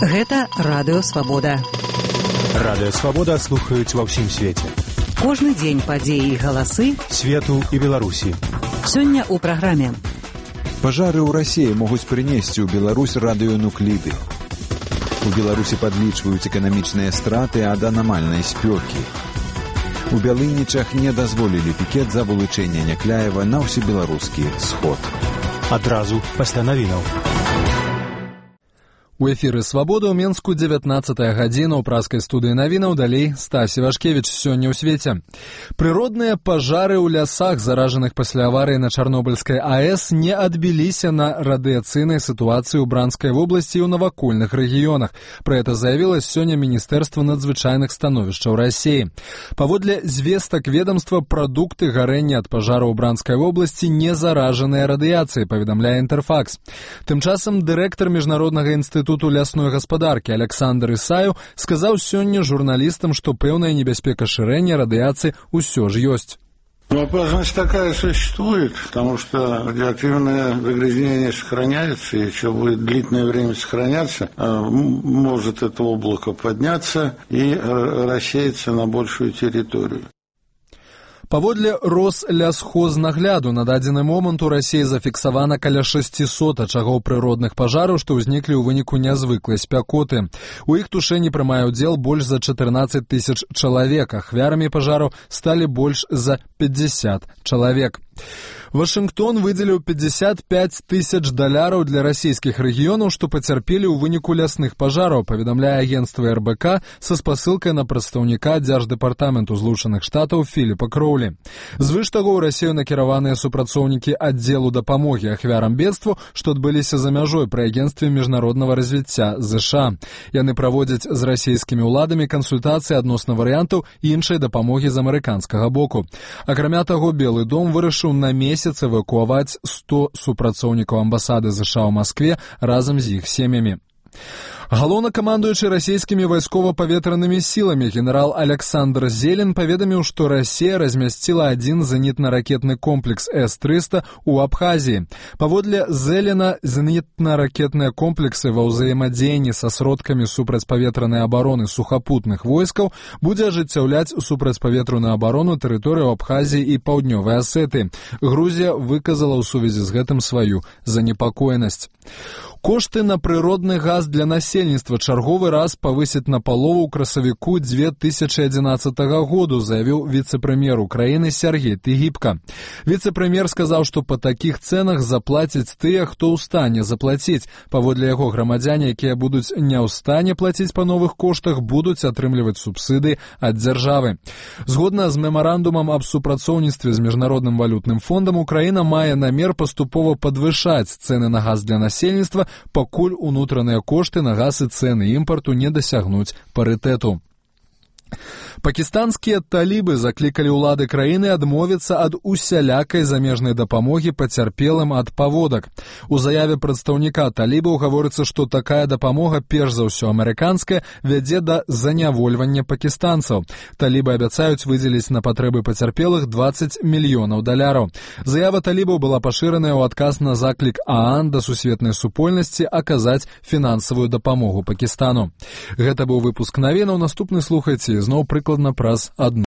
Гэта Радыё Свабода. Радыё Свабода слухаюць ва ўсім свеце. Кожны дзень падзеі і галасы свету і Беларусі. Сёння ў праграме. Пажары ў Расіі могуць прынесці ў Беларусь радыёнукліды. У Беларусі падлічваюць эканамічныя страты ад анамальнай спёкі. У Бялынічах не дазволілі пікет за вылучэнне Някляева на ўсебеларускі сход. Адразу пасля навінаў. У эфіры «Свабода» ў Менску 19-я гадзіна ў праскай студыі навінаў, далей Стасі Вашкевіч сёння ў свеце. Прыродныя пажары ў лясах, заражаных пасля аварыі на Чарнобыльскай АЭС, не адбіліся на радыяцыйнай сітуацыі ў Бранскай вобласці і ў навакольных рэгіёнах. Пра гэта заявіла сёння Міністэрства надзвычайных становішчаў Расіі. Паводле звестак ведомства, прадукты гарэння ад пажару ў Бранскай вобласці не заражаныя радыяцыяй, паведамляе Інтэрфакс. Тым часам дырэктар Міжнароднага інстытуту лясной гаспадаркі Александр Ісаеў сказаў сёння журналістам, што пэўная небяспека шырэння радыяцыі ўсё ж ёсць. Опасность такая существует, потому что радиоактивное загрязнение сохраняется, и еще будет длительное время сохраняться, может это облако подняться и рассеяться на большую территорию. Паводле Рослясхознагляду на дадзены момант у Расіі зафіксавана каля 600 ачагоў прыродных пажараў, што ўзніклі ў выніку нязвыклай спякоты. У іх тушэнні прымае ўдзел больш за 14 тысяч чалавек, ахвярамі пажараў сталі больш за 50 чалавек. Вашынгтон выдзеліў $55 тысяч для расійскіх рэгіёнаў, што пацярпелі ў выніку лясных пажараў, паведамляе агенцтва РБК са спасылкай на прадстаўніка Дзярждэпартаменту Злучаных Штатаў Філіпа Кроўлі. Звыш таго, ў Расію накіраваныя супрацоўнікі аддзелу дапамогі ахвярам бедству, што адбыліся за мяжой пры агенцтве міжнароднага развіцця ЗША. Яны праводзяць з расійскімі ўладамі кансультацыі адносна варыянтаў іншай дапамогі з амерыканскага боку. Акрамя таго, Белы дом вырашыў на месяц эвакуаваць 100 супрацоўнікаў амбасады ЗША ў Маскве разам з іх сем'ямі. Галоўнакамандуючы расійскімі вайскова-паветранымі сіламі генерал Александр Зелен паведаміў, што Расія размясціла адзін зенітна-ракетны комплекс С-300 у Абхазіі. Паводле Зелена, зенітна-ракетныя комплексы ва ўзаемадзеянні са сродкамі супрацьпаветранай абароны сухапутных войскаў будзе ажыццяўляць супрацьпаветраную абарону тэрыторыю Абхазіі і Паўднёвай Асетыі. Грузія выказала ў сувязі з гэтым сваю занепакоенасць. Кошты на прыродны газ для насельніцтва чарговы раз павысяць напалову ў красавіку 2011 году, заявіў віцэ-прэм'ер Украіны Сергей Тыгіпка. Віцэ-прэм'ер сказаў, што па такіх цэнах заплацяць тыя, хто ў стане заплаціць. Паводле яго, грамадзяне, якія будуць не ў стане плаціць па новых коштах, будуць атрымліваць субсыдыі ад дзяржавы. Згодна з мемарандумам аб супрацоўніцтве з Міжнародным валютным фондам, Украіна мае намер паступова падвышаць цэны на газ для насельніцтва, пакуль унутраныя кошты на газ і цэны імпарту не дасягнуць парытэту. Пакістанскія талібы заклікалі ўлады краіны адмовіцца ад усялякай замежнай дапамогі пацярпелым ад паводак. У заяве прадстаўніка талібаў гаворыцца, што такая дапамога, перш за ўсё амерыканская, вядзе да занявольвання пакістанцаў. Талібы абяцаюць выдзеліць на патрэбы пацярпелых $20 мільёнаў. Заява талібаў была пашыраная ў адказ на заклік ААН да сусветнай супольнасці аказаць фінансавую дапамогу Пакістану. Гэта быў выпуск навінаў, наступны слухайце зноў прыкладна праз 1